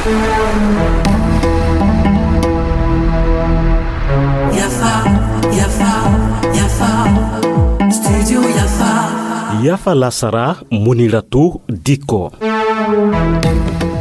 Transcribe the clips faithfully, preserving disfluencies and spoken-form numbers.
Yafa, Yafa, Yafa, Studio Yafa. Yafa lasara, Muniratu Diko.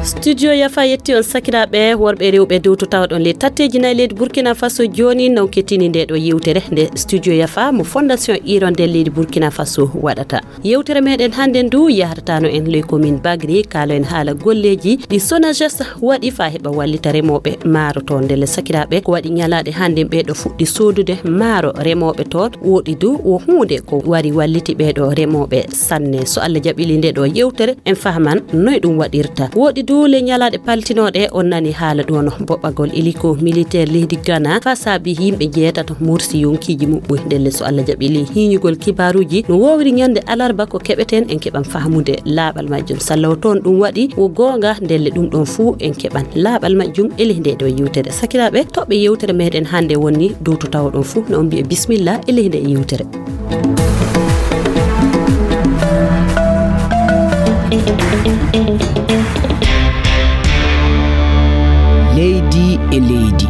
Studio Yafa yetti on sakiraaɓe worɓe e rewɓe dewtotawɗon le tatteji nayi leydi Burkina Faso jooni, non kettini nde ɗo yewtere nde Studio Yafa mo Fondation Hirondelle leydi Burkina Faso waɗata. Yewtere meɗen hannde ndu yahrata no en ley commune Bagri, kaalo en haala golleeji ɗi Sonages waɗi faa heɓa wallita remooɓe maaro toon. Ndelle sakiraaɓe, ko waɗi ñalaaɗe hannde ɓee ɗo fuɗɗi soodude maaro remooɓe toon, woɗi du wo huunde ko wari walliti ɓee ɗo remooɓe sanne. So Allah jaɓili nde ɗo yewtere, en fahman noy ɗum waɗirta. Woɗi du le ñalaaɗe paltinooɗe, on nani haala ɗo no boɓɓagol hélico militaire leydi Ghana faa saabi yimɓe jeetato mursi yonkiiji muɓɓoy. Ndelle so Allah jaɓili hiiñugol kibaaruuji no woowri ñande alarba ko keɓeten, en keɓan fahmude laaɓal majjum. Sallawo toon ɗum waɗi wo goonga, ndelle ɗum ɗon fuu en keɓan laaɓal majjum e ley nde ɗo yewtere. Sakiraaɓe, toɓɓe yewtere meɗen hannde woni dow to tawoɗon fuu, no on mbiye bismillah e ley nde yewtere. Leydi e leydi.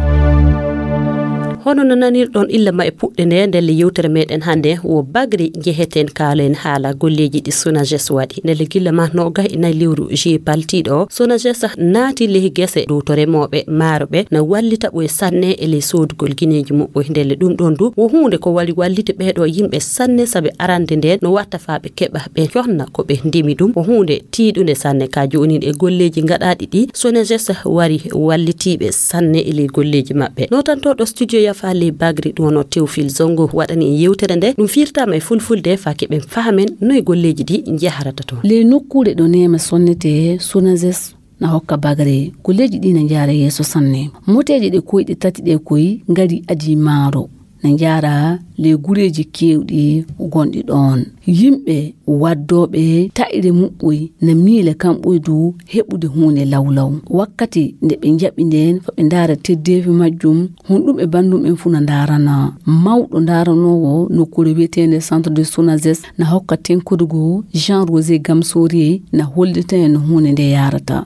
Hono no nanirɗon illa ma e puɗɗe nde, ndelle yewtere meɗen hannde wo Bagri njeheten, kaalen haala golleeji ɗi Sonages waɗi. Ndelle gilla ma noogas e nayi lewru juillet paltiiɗo o, Sonages naati ley gese dow to remooɓe maaro ɓe, na wallita ɓoy sanne e ley soodugol gineeji muɓɓoy. Ndelle ɗum ɗon du wo huunde ko wari walliti ɓee ɗo yimɓe sanne, sabi arande nden no watta faa ɓe keɓa ɓe conna ko ɓe ndemi ɗum. Ko huunde tiiɗunde sanne. Ka joonin e golleeji gaɗaaɗi ɗi, Sonages wari wallitiiɓe sanne e ley golleeji maɓɓe. Nootantooɗo studio Yafa ley Bagri ɗum wano Théophile Zongo waɗani en yewtere nde. Ɗum firtaama e fulfulde faa keɓen fahamen noy golleeji ɗi njaharata toon. Ley nokkuure ɗo neema sonnetee, Sonages na hokka Bagri. Golleeji ɗi na njaara yeeso sanne. Moteeje ɗe koyɗe tati ɗe koy ngari adii maaro. Na njaara ley gureeji keewɗi gonɗi ɗoon. Yimɓe waddooɓe taƴre muɓɓoy na miila kamɓoy du heɓude huunde lawlaw. Wakkati nde ɓe njaɓi ndeen, faa ɓe ndaara teddeefi majjum, honɗum e banndum en fuu na ndaarana. Mawɗo ndaaranoowo nokkuure wiyeteende Centre de Sonages na hokka tenkodugo Jean Rosé Gamsori na hollita en no huunde nde yaarata.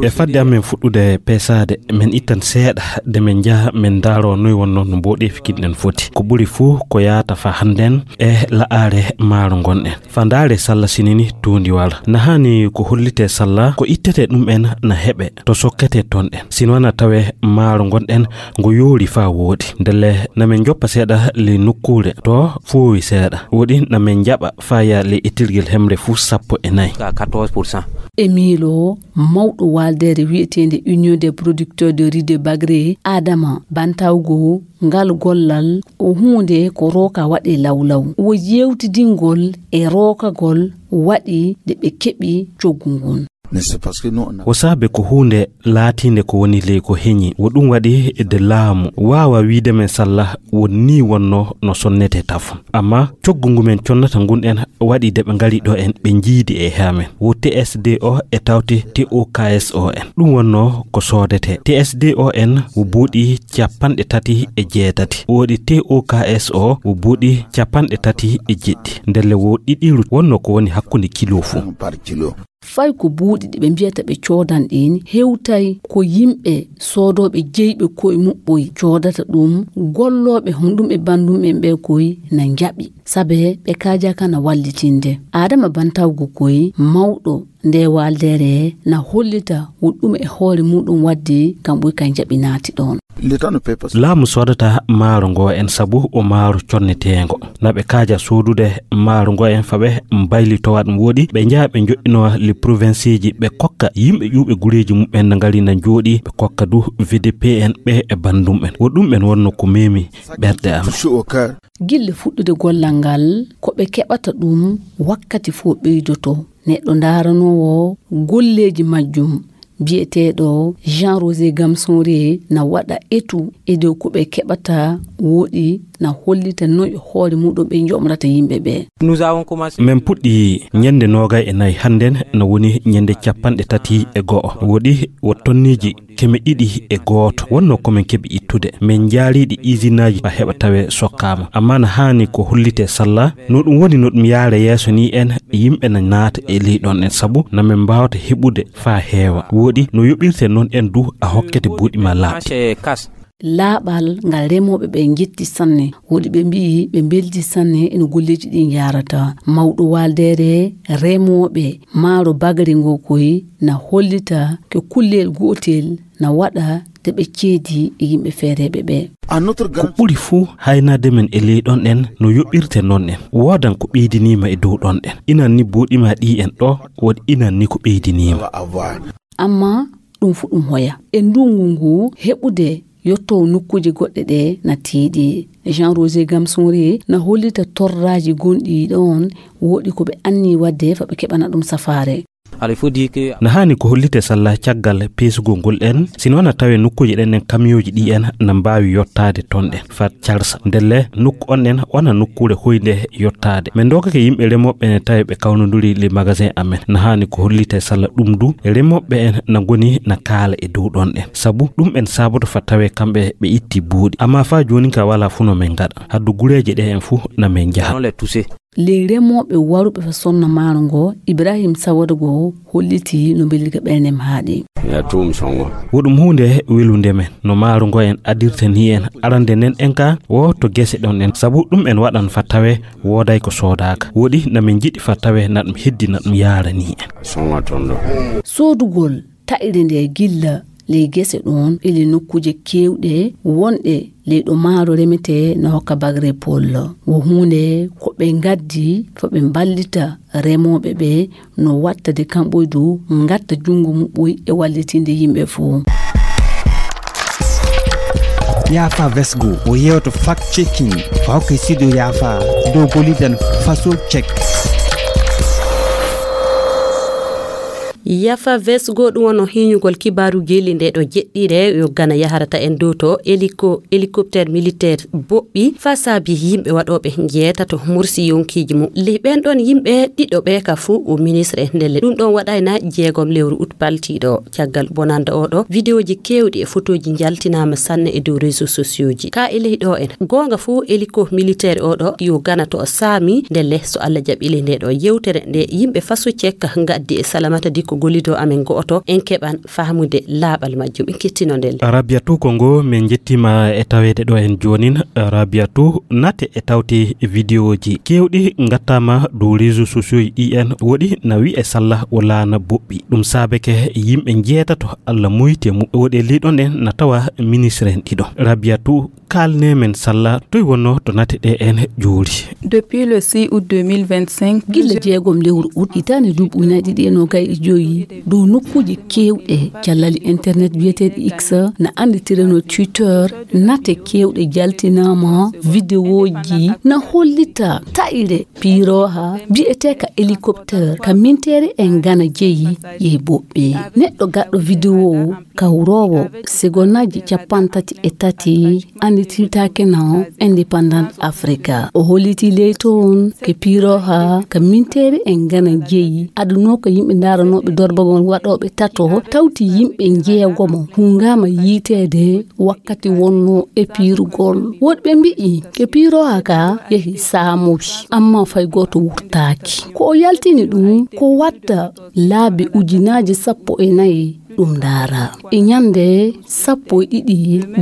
E fadde amen fuɗɗude peesaade, men ittan seeɗa de men njaha men ndaaroo noy wonnoo no mboɗeefi kin ɗen foti. Ko ɓuri fuu ko yaata faa hannden e la'aare maaro ngonɗen. Faa ndaare salla sinini tuundiwal. Na haani ko hollitee salla ko ittetee ɗum en na heɓe to sokketee toon ɗen. Sino na tawee maaro ngonɗen ngo yoori faa wooɗi. Ndelle na men njoppa seeɗa ley nokkuure to foowi seeɗa. Woɗi na men njaɓa faa yaa ley etirgel hemre fuu sappo e nayi. E miilo mawɗo waaldeere wiyeteende Union des producteurs de riz de Bagre, Adama Bantawgo, ngal gollal o huunde ko rooka waɗee lawlaw. Wo yeewtidingol e rookagol waɗi nde ɓe keɓi coggu ngun. Ko saabe ko huunde laatiinde ko woni ley ko heñi. Wo ɗum waɗi de laamu waawa wiide men salla won nii wonnoo no sonnetee tafon. Amma coggu ngu men connata ngun en waɗi de ɓe ngari ɗo en, ɓe njiidi e amen. Wo T S D O e tawti T O K S O en. Ɗum wonnoo ko soodetee. T S D O en wo buuɗi capanɗe tati e jeetati. Woɗi T O K S O wo buuɗi capanɗe tati e jeɗɗi. Ndelle wo ɗiɗiiru wonnoo ko woni hakkunde kilo fuu. Fay ko buuɗi ɗi ɓe mbiyata ɓe coodan ɗin hewtay ko yimɓe soodooɓe jeyɓe koye muɓɓoy coodata ɗum, gollooɓe honɗum e banndum en ɓe koy na njaɓi, sabe ɓe kaajaaka na wallitinde. Adama Bantawgo koy mawɗo nde waaldeere na hollita woɗɗum e hoore muɗum waddi kam ɓuy kay njaɓi naati ɗoon. Laamu soodata maaro ngo en sabu o maaro conneteengo. Na ɓe kaaja soodude maaro ngo en faa ɓe mbaylitowa ɗum woɗi, ɓe njaha ɓe njoɗɗinowa le provinceeji, ɓe kokka yimɓe ƴuuɓe gureeji muɓɓen na ngari na njooɗi, ɓe kokka du V D P en ɓe e banndum en. Wo ɗum en wonnoo ko memi ɓerɗe am. Gille fuɗɗude gollal ngal, ko ɓe keɓata ɗum wakkati fof ɓeydoto. Neɗɗo ndaaranoowo golleeji majjum biyeteeɗo Jean Rosé Gamsonri na waɗa etu e dow ko ɓe keɓata woɗi na hollita noy hoore muɗum ɓe njoɓrata yimɓe ɓe. Nous avons commencé. Min puɗɗi ñande noogay e nayi, hannden na woni ñande capanɗe tati e go'o. Woɗi wo tonneeji keme ɗiɗi e gooto wonno ko min keɓi ittude. Min njaariiɗi isinaaji faa heɓa tawee sokkaama. Ammaa na haani ko hollitee salla, no ɗum woni no ɗum yaara yeeso ni en, yimɓe na naata e ley ɗon en, sabu na min mbaawata heɓude faa heewa. Woɗi no yoɓirtee noon en du a hokkete buuɗi ma laaɓɗi. Laaɓal ngal remooɓe ɓe njetti sanne, woɗi ɓe mbi'i ɓe mbeldi sanne eno golleeji ɗi njaarata. Mawɗo waaldeere remooɓe maaro bagre ngo koy na hollita ko kullel gootel na waɗa de ɓe ceedi e yimɓe feereeɓe ɓe. Ko ɓuri fuu haynaade men e ley ɗon en no yoɓirte noon en. Woodan ko ɓeydiniima e dow ɗon en. Inan ni buuɗi ma ɗi en ɗo, woɗi inan ni ko ɓeydiniima. Ammaa ɗum fu ɗum hoya. E ndunngu ngu heɓude yotto nokkuuje goɗɗe ɗe na tiiɗi. Jean Roger Gamsonri na hollita torraaji gonɗi ɗoon, woɗi ko ɓe anni waɗde fa ɓe keɓana ɗum safaare. Na haani ko hollite salla caggal peesugol ngol en, sino na tawe nokkuuje ɗen en kamiyooji ɗi en na mbaawi yottaade toon ɗen. Fat Charles. Ndelle, nokku on ɗen wona nokkuure hoynde yottaade. Min ndookake yimɓe remooɓe ne tawi ɓe kawnondiri le magasin amen. Na haani ko hollite salla ɗum du, remooɓe en na ngoni na kaala e dow ɗon ɗen. Sabu ɗum en saboto fa tawe kamɓe ɓe itti buuɗi. Amma fa jooni ka wala fu no min ngaɗa. Haddu gureeje ɗe en fu na min njaha. Ley remooɓe waruɓe fa sonna maaro ngo, Ibrahim Sawada go holliti no mbelliga ɓernde haaɗi. Wo ɗum huunde welunde men, no maaro ngo en adirta ni en arande nden en ka wo to gese ɗon en. Sabu ɗum en waɗan fa tawe wooday ko soodaaka. Woɗi na min njiɗi fa tawe na ɗum heddi na ɗum yaara ni en. Soodugol ta'ire nde gilla ley gese ɗon e ley nokkuuje keewɗe wonɗe ley ɗo maaro remetee no hokka bagre pol. Wo huunde ko ɓe ngaddi fo ɓe mballita remooɓe ɓe no watta de kamɓoy du ngatta junngo muɓɓoy e wallitinde yimɓe fuu. Yaafa Vesgo o yewto fact checking fa hokke studio Yaafa dow gollidan faso check. Yafa Vesgo ɗum wonno hiñugol kibaaru geli nde ɗo jeɗɗire yo Gana yaharata en dow to hélico-, hélicoptère militaire boɓɓi fa saabi yimɓe waɗooɓe njeetato mursi yonkiiji mum. Ley ɓen ɗon yimɓe ɗiɗo ɓe ka fuu o ministre ndelle. Ɗum ɗon waɗayna jeegom lewru ut paltiiɗo. Caggal bonanda oɗo, vidéoji keewɗi e fotooji njaltinaama sanne e dow réseaux sociaux ji. Ka e ley ɗo en. Goonga fuu hélico militaire oɗo yo Gana to o saami ndelle so Allah jaɓi ley nde ɗo yewtere nde yimɓe faso cekka ngaddi e Salamata Dikko gollido amen go'oto en keɓan faamude laaɓal majjum. En kettino ndelle. Rabiatu Kongo, min njettiima e taweede ɗo en joonin. Rabiatu, nate e tawte vidéoji keewɗi ngattaama dow réseaux sociaux ɗi en woɗi na wi'e salla o laana boɓɓi. Ɗum saabeke yimɓe njeetato Allah moyti e mum. Woɗi e ley ɗon en na tawa ministre en ɗiɗo. Rabiatu, kaalne men salla toy wonno to nate ɗe en joori. Depuis le six août deux mille vingt-cinq, gilla jeegom lewru ut hitaande duuɓi ujunaaji ɗiɗi e noogay e joyi, dow nokkuuje keewɗe callali internet biyeteeɗi X na annditireno Twitter, nate keewɗe jaltinaama, vidéoji na hollita ta'ire piirooha biyeteeka hélicoptère ka minteere en Gana jeyi yehi boɓɓe. Neɗɗo gaɗɗo vidéo kawroowo segonnaaji cappanɗe tati e tati anndititaake no Indépendant Africa. O holliti ley toon ke piirooha ka minteere en Gana jeyi adunoo ko yimɓe ndaaranooɓe dorbagol waɗooɓe tato tawti yimɓe njeegomo hungaama yiiteede wakkati wonno e piirugol. Woɗɓe mbi'i ke piirooha ka yehi saamowi, amma fay gooto wurtaaki. Ko o yaltini ɗum ko watta laabi ujunaaji sappo e nayi ɗum ndaara. E ñande sappo e ɗiɗi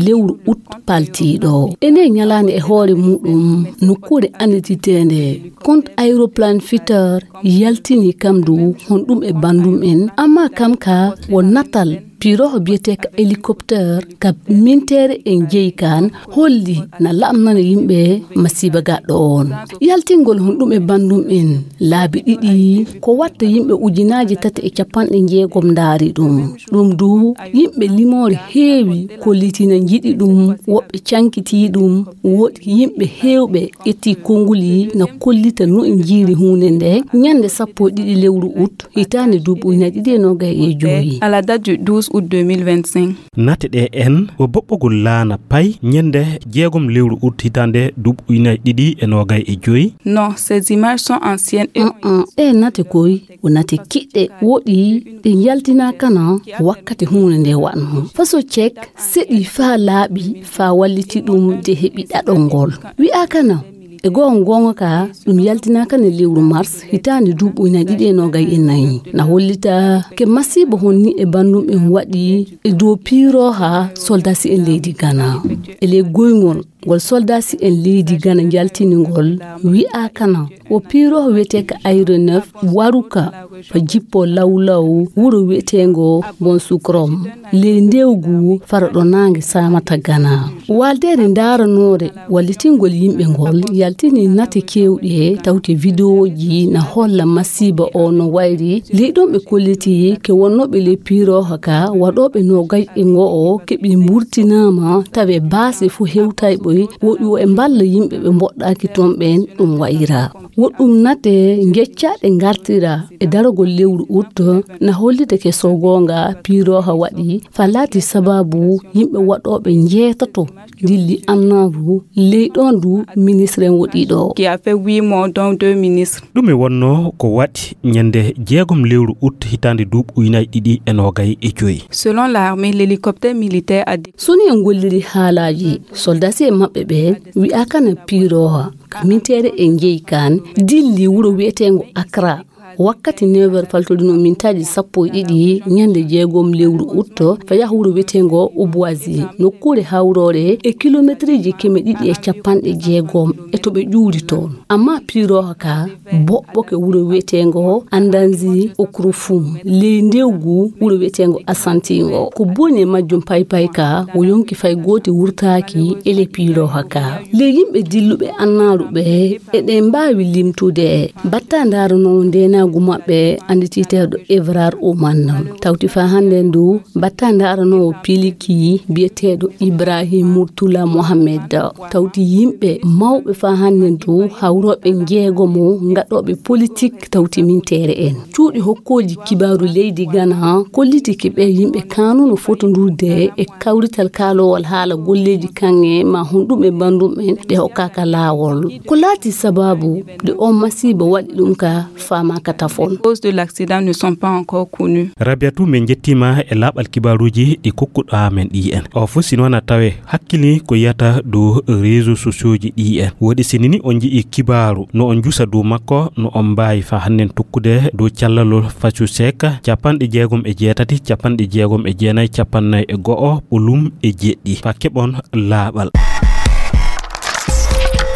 lewru ut paltiiɗo. E nde ñalaande e hoore muɗum nokkuure anndititeende compte aéroplane fitter yaltini kam du honɗum e banndum en, amma kam ka wo natal piirooho biyeteeka hélicoptère ka minteere en jeyi kan holli na laamnana yimɓe masiiba gaɗɗo on. Yaltingol honɗum e banndum en laabi ɗiɗi ko watta yimɓe ujunaaji tati e capanɗe jeegom ndaari ɗum. Ɗum du yimɓe limoore heewi kollitina njiɗi ɗum, woɓɓe cankitii ɗum, woɗi yimɓe heewɓe ƴetti konnguli na kollita no en njiiri huunde nde ñande sappo e ɗiɗi lewru ut hitaande duuɓi ujunaaji ɗiɗi e noogay e joyi. À la date du douze août deux mille vingt-cinq. Nate ɗe en o boɓɓogol laana pay ñande jeegom lewru ut hitaande duuɓi ujunaaji ɗiɗi e noogay e joy. Non, ces images sont anciennes et ont... Ɗe nate koy o nate kiɗɗe woɗi ɗe njaltinaakana wakkati huunde nde waɗno. Faso cek seɗi faa laaɓi faa walliti ɗum de heɓi ɗaɗol ngol. Wi'aakana e goonga goonga ka ɗum yaltinaakana lewru mars hitaande duuɓi ujunaaji ɗiɗi e noogay e nayi. Na hollita ke masiiba honni e banndum en waɗi e dow piirooha soldasi en leydi Gana. E ley goyngol ngol soldasi en leydi Gana njaltini ngol wi'aakana o piirooha wi'eteeka Aéro neuf waruka fa jippo lawlaw wuro wi'eteengo Bon Sukrom ley ndewgu fara ɗo naange saamata Gana. Waaldeere ndaaranoore wallitingol yimɓe ngol yaltini nate keewɗe tawti videwooji na holla masiiba o no wayri ley ɗon ɓe kolliti ke wonnooɓe ley piirooha ka waɗooɓe noogay e ngo'o keɓi mburtinaama tawe baase fo hewtayɓe woɗi o e mballa yimɓe ɓe mboɗɗaaki toon ɓeen ɗum wayra. Woɗɗum nate ngeccaaɗe ngartira e daragol lewru ut na hollitake so goonga piirooha waɗi fa laati sababu yimɓe waɗooɓe njeetato dilli annaaru ley ɗoon du ministre en woɗi ɗo. Qui a fait huit morts, dont deux ministres. Ɗum e wonnoo ko waɗi ñande jeegom lewru ut hitaande duuɓi ujunaaji ɗiɗi e noogay e joy. Selon l'armée, l'hélicoptère militaire a dé- So ni en golliri haalaaji soldasi e maɓɓe ɓe wi'aakana piirooha ka minteere e njeyi kaan dilli wuro wi'eteengo Accra wakkati neuf heures faltoɗino mintaaji sappo e ɗiɗi ñande jeegom lewru ut fa yaha wuro wi'eteengo Obuasi nokkuure hawroore e kilometriji keme ɗiɗi e capanɗe jeegom e to ɓe ƴuuri toon. Amma piirooha ka boɓɓoke wuro wi'eteengo Andanzi Okrofum ley ndewgu wuro wi'eteengo Asanti ngo. Ko boni e majjum paypay ka wo yonki fay goote wurtaaki e ley piirooha ka. Ley yimɓe dilluɓe annaaru ɓe eɗen mbaawi limtude batta ndaaranowo ndeenaagu maɓɓe annditiiteeɗo Evrar Oman. Tawti faa hannde ndu batta ndaaranowo piliki biyeteeɗo Ibrahim Murtula Mohammed. Tawti yimɓe mawɓe faa hannde ndu hawrooɓe njeegomo ngaɗooɓe politik tawti minteere en. Cuuɗi hokkooji kibaaru leydi Gana kolliti ki ɓe yimɓe kaanuno fotondurde e kawrital kaalowal haala golleeji kaŋŋe ma honɗum e banndum en ɗe hokkaaka laawol. Ko laati sabaabu nde on masiiba waɗi ɗum ka faamaaka tafon. Cause de l'accident ne sont pas encore connus. Rabiatou, min njettiima e laaɓal kibaaruuji ɗi kokkuɗaa men ɗi en. O fof si noon a tawe hakkili ko yiyata dow réseaux sociaux ji ɗi en. Woodi sinini on nji'i kibaaru no on njusa dow makko no on mbaawi fa hannden tokkude dow callalol Facu Seek capanɗe jeegom e jeetati, capanɗe jeegom e jeenayi, capanɗe nayi e go'o, ɓolum e jeɗɗi. Fa keɓon laaɓal.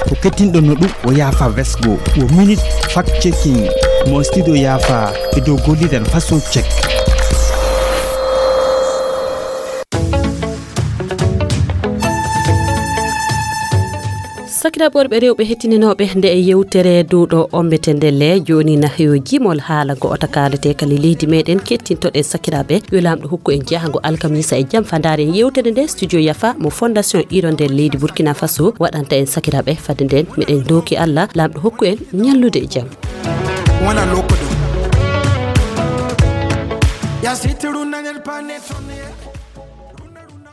Ko kettinɗon no ɗum o yaafa vesgo, wo minute fact checking mo studio yaafa e dow golliren façon check. Sakiraaɓe worɓe rewɓe hettininooɓe nde e yewtere dow ɗo ombete ndelle, jooni na yo jimol haala ngo ota kaalete kala leydi meɗen kettintoɗen sakiraaɓe yo Laamɗo hokku en jahango alkamisa e jam fa ndaaren yewtere nde. Studio Yafa mo Fondation Hirondelle leydi Burkina Faso waɗanta en sakiraaɓe. Fadde nden meɗen dooki Allah Laamɗo hokku en ñallude e jam. Wona lokko ɗum. Ya sitiru naner panet.